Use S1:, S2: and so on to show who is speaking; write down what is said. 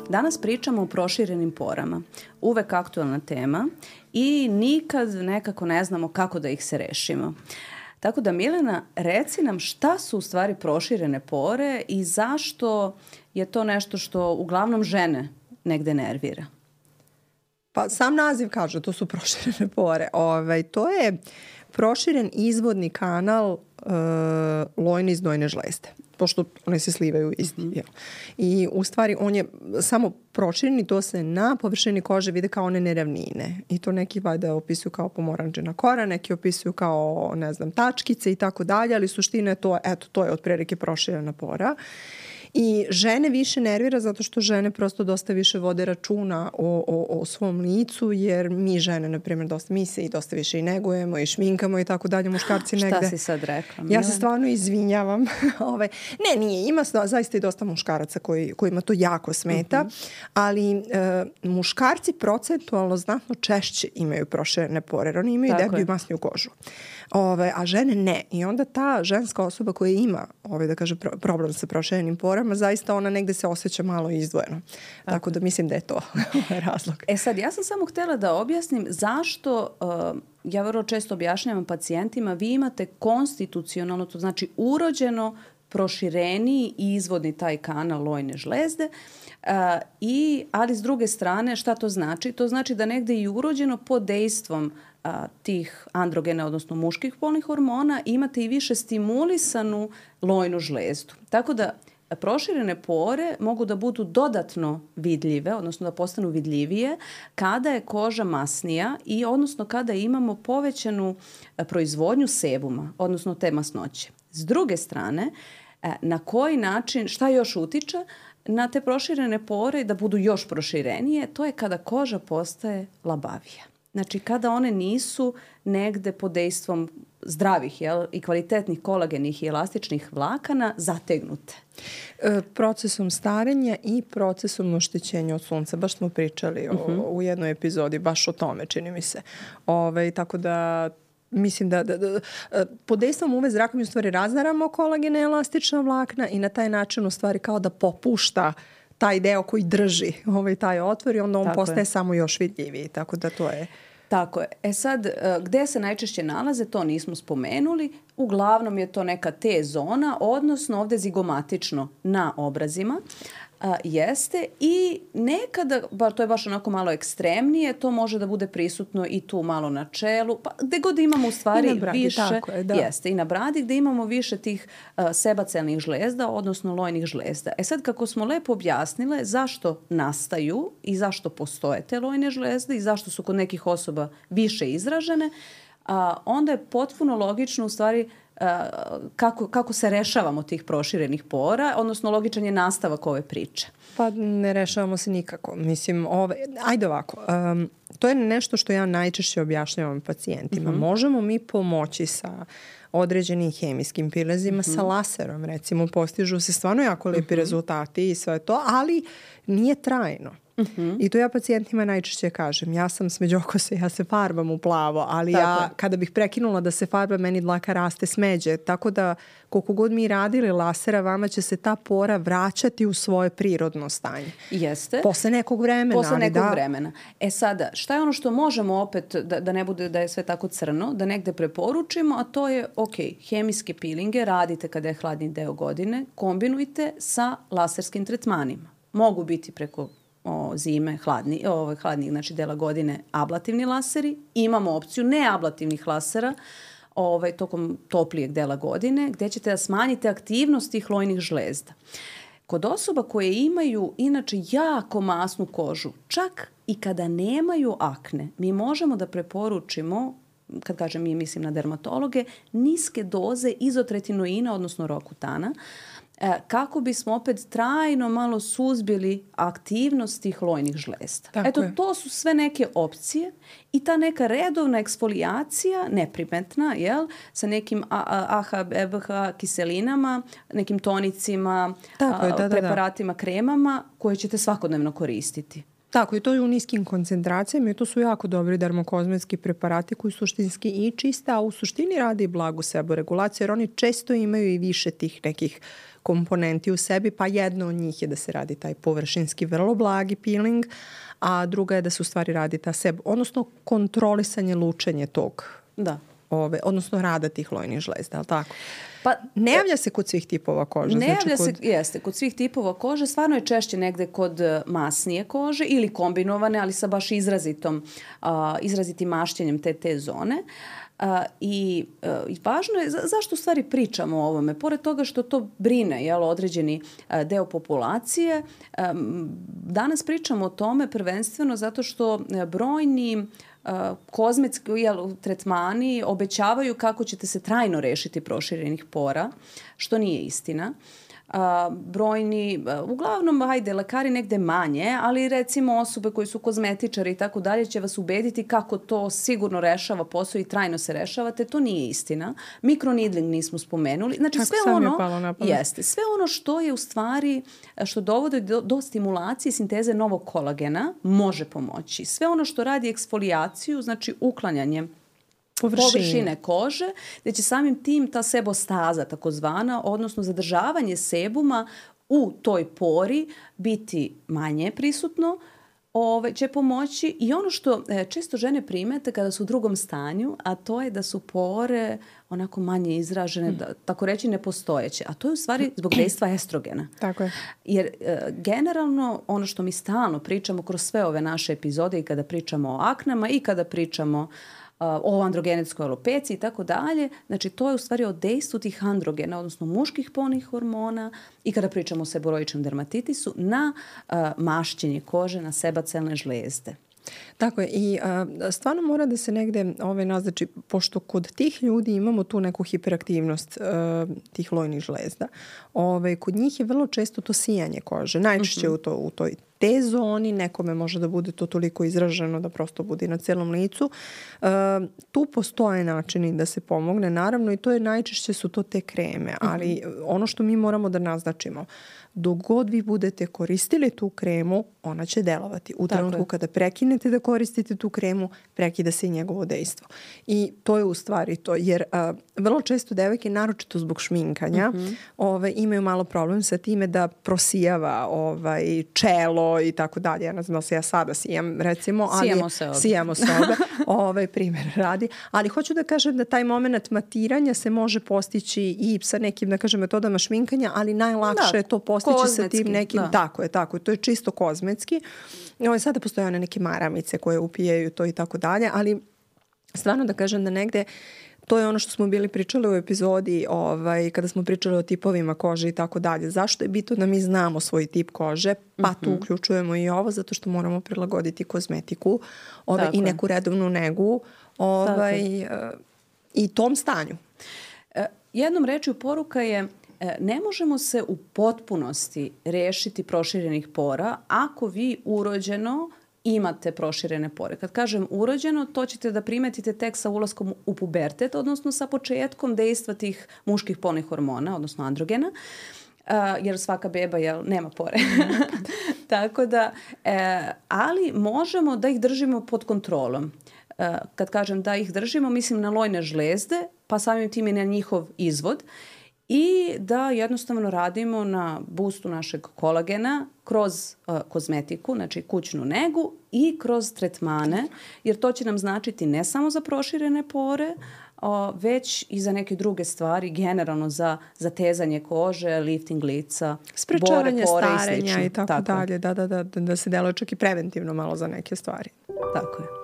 S1: Danas pričamo o proširenim porama. Uvek aktualna tema i nikad nekako ne znamo kako da ih se rešimo. Tako da, Milena, reci nam šta su u stvari proširene pore i zašto je to nešto što uglavnom žene negde nervira?
S2: Pa sam naziv kaže, to su proširene pore. To je proširen izvodni kanal lojne i znojne žlezde, pošto one se slivaju isti. I u stvari on je samo proširen i to se na površini kože vide kao one neravnine. I to neki valjda opisuju kao pomoranđena kora, neki opisuju kao, ne znam, tačkice i tako dalje, ali suština je to, eto, to je otprilike proširena pora. I žene više nervira zato što žene prosto dosta više vode računa o svom licu, jer mi žene, na primjer, mi se i dosta više i negujemo i šminkamo i tako dalje, muškarci negde.
S1: Šta si sad rekla?
S2: Ja se stvarno izvinjavam. Ne, nije, ima zaista i dosta muškaraca kojima to jako smeta, ali muškarci procentualno znatno češće imaju proširene pore, jer oni imaju deblju i masniju kožu. A žene ne. I onda ta ženska osoba koja ima da kaže, problem sa proširenim porama, zaista ona negde se osjeća malo izdvojeno. Tako da mislim da je to razlog.
S1: Sad, ja sam samo htjela da objasnim zašto, ja vrlo često objašnjavam pacijentima, vi imate konstitucionalno, to znači urođeno prošireniji i izvodni taj kanal lojne žlezde, ali s druge strane šta to znači? To znači da negde i urođeno pod dejstvom tih androgena, odnosno muških polnih hormona, imate i više stimulisanu lojnu žlezdu. Tako da proširene pore mogu da budu dodatno vidljive, odnosno da postanu vidljivije kada je koža masnija i odnosno kada imamo povećanu proizvodnju sebuma, odnosno te masnoće. S druge strane, na koji način, šta još utiče na te proširene pore da budu još proširenije, to je kada koža postaje labavija. Znači, kada one nisu negde pod dejstvom zdravih i kvalitetnih kolagenih i elastičnih vlakana zategnute.
S2: Procesom starenja i procesom oštećenja od sunca. Baš smo pričali u jednoj epizodi, baš o tome, čini mi se. Tako da mislim da pod dejstvom UV zraka mi u stvari razaramo kolagene i elastična vlakna i na taj način u stvari kao da popušta taj deo koji drži taj otvor i onda on postaje samo još vidljiviji. Tako da to je...
S1: Tako je. Sad, gde se najčešće nalaze, to nismo spomenuli. Uglavnom je to neka T zona, odnosno ovde zigomatično na obrazima. Jeste i nekada, to je baš onako malo ekstremnije, to može da bude prisutno i tu malo na čelu, pa gde god imamo u stvari i na bradi, više,
S2: tako je, da.
S1: Jeste, i na bradi gde imamo više tih sebacelnih žlezda, odnosno lojnih žlezda. Sad, kako smo lepo objasnile zašto nastaju i zašto postoje te lojne žlezde i zašto su kod nekih osoba više izražene, onda je potpuno logično u stvari kako se rešavamo tih proširenih pora, odnosno logičan je nastavak ove priče.
S2: Pa ne rešavamo se nikako. Mislim, ajde ovako, to je nešto što ja najčešće objašnjavam pacijentima. Možemo mi pomoći sa određenim hemijskim prilazima, sa laserom, recimo, postižu se stvarno jako lepi rezultati i sve to, ali nije trajno. I to ja pacijentima najčešće kažem. Ja sam smeđokose, ja se farbam u plavo, ali ja kada bih prekinula da se farba, meni dlaka raste smeđe. Tako da koliko god mi radili lasera, vama će se ta pora vraćati u svoje prirodno stanje.
S1: Jeste.
S2: Posle nekog vremena.
S1: Vremena. Sada, šta je ono što možemo opet, da ne bude da je sve tako crno, da negde preporučimo, a to je, hemijske pilinge radite kada je hladni deo godine, kombinujte sa laserskim tretmanima. Mogu biti preko zime, hladnih, znači dela godine, ablativni laseri. Imamo opciju neablativnih lasera tokom toplijeg dela godine, gde ćete da smanjite aktivnost tih lojnih žlezda. Kod osoba koje imaju inače jako masnu kožu, čak i kada nemaju akne, mi možemo da preporučimo, kad kažem mi mislim na dermatologe, niske doze izotretinoina, odnosno rokutana, kako bismo opet trajno malo suzbili aktivnost tih lojnih žlezda. To su sve neke opcije i ta neka redovna eksfolijacija, neprimetna, sa nekim AHA, BH kiselinama, nekim tonicima, preparatima, kremama koje ćete svakodnevno koristiti.
S2: Tako, i to je u niskim koncentracijama i to su jako dobri dermokozmetski preparati koji suštinski i čiste, a u suštini rade i blagu seboregulaciju, jer oni često imaju i više tih nekih komponenti u sebi, pa jedno od njih je da se radi taj površinski vrlo blagi peeling, a druga je da se u stvari radi ta odnosno kontrolisanje lučenje tog, odnosno rada tih lojnih žlezda, ali tako? Pa, ne javlja se kod svih tipova kože.
S1: Ne javlja se, jeste, kod svih tipova kože. Stvarno je češće negde kod masnije kože ili kombinovane, ali sa baš izrazitim mašćenjem te zone. I važno je, zašto u stvari pričamo o ovome? Pored toga što to brine određeni deo populacije, danas pričamo o tome prvenstveno zato što brojni kozmetski tretmani obećavaju kako ćete se trajno rešiti proširenih pora, što nije istina. Brojni, uglavnom, lekari negde manje, ali recimo osobe koji su kozmetičari i tako dalje će vas ubediti kako to sigurno rešava posao i trajno se rešavate. To nije istina. Mikronidling nismo spomenuli. Znači sve ono što je u stvari, što dovodi do stimulacije sinteze novog kolagena može pomoći. Sve ono što radi eksfolijaciju, znači uklanjanje površine kože, gde će samim tim ta sebostaza takozvana, odnosno zadržavanje sebuma u toj pori biti manje prisutno, će pomoći. I ono što često žene primete kada su u drugom stanju, a to je da su pore onako manje izražene, tako reći nepostojeće. A to je u stvari zbog dejstva estrogena.
S2: Tako je.
S1: Jer generalno ono što mi stalno pričamo kroz sve ove naše epizode i kada pričamo o aknama i kada pričamo o androgenetskoj alopeciji i tako dalje. Znači, to je u stvari o dejstvu tih androgena, odnosno muških polnih hormona i kada pričamo o seboroičnom dermatitisu na mašćenje kože, na sebacelne žlezde.
S2: Tako je i stvarno mora da se negde naznači, pošto kod tih ljudi imamo tu neku hiperaktivnost tih lojnih žlezda, kod njih je vrlo često to sijanje kože, najčešće u toj te zoni, nekome može da bude to toliko izraženo da prosto bude na celom licu. Tu postoje načini da se pomogne, naravno, i to je najčešće su to te kreme, ali ono što mi moramo da naznačimo, dok god vi budete koristili tu kremu, ona će delovati. U trenutku kada prekinete da koristite tu kremu, prekida se i njegovo dejstvo. I to je u stvari to, jer vrlo često devojke, naročito zbog šminkanja, imaju malo problem sa time da prosijava čelo i tako dalje. Ja ne znam da se ja sada sijam, recimo. Sijamo se obe. Primjer radi. Ali hoću da kažem da taj moment matiranja se može postići i sa nekim, da kažem, metodama šminkanja, ali najlakše je to postići sa tim nekim. Tako je. To je čisto kozmetski. Sada postoje one neke maramice koje upijaju to i tako dalje, ali stvarno da kažem da negde to je ono što smo bili pričali u epizodi kada smo pričali o tipovima kože i tako dalje. Zašto je bitno da mi znamo svoj tip kože? Pa tu uključujemo i ovo, zato što moramo prilagoditi kozmetiku i neku redovnu negu i tom stanju.
S1: Jednom rečju poruka je ne možemo se u potpunosti rešiti proširenih pora ako vi urođeno imate proširene pore. Kad kažem urođeno, to ćete da primetite tek sa ulaskom u pubertet, odnosno sa početkom dejstva tih muških polnih hormona, odnosno androgena, jer svaka beba nema pore. Tako da, ali možemo da ih držimo pod kontrolom. Kad kažem da ih držimo, mislim na lojne žlezde, pa samim tim i na njihov izvod. I da jednostavno radimo na boostu našeg kolagena kroz kozmetiku, znači kućnu negu i kroz tretmane, jer to će nam značiti ne samo za proširene pore, već i za neke druge stvari, generalno za zatezanje kože, lifting lica,
S2: sprečavanje starenja i tako dalje. Da se deluje čak i preventivno malo za neke stvari.
S1: Tako je.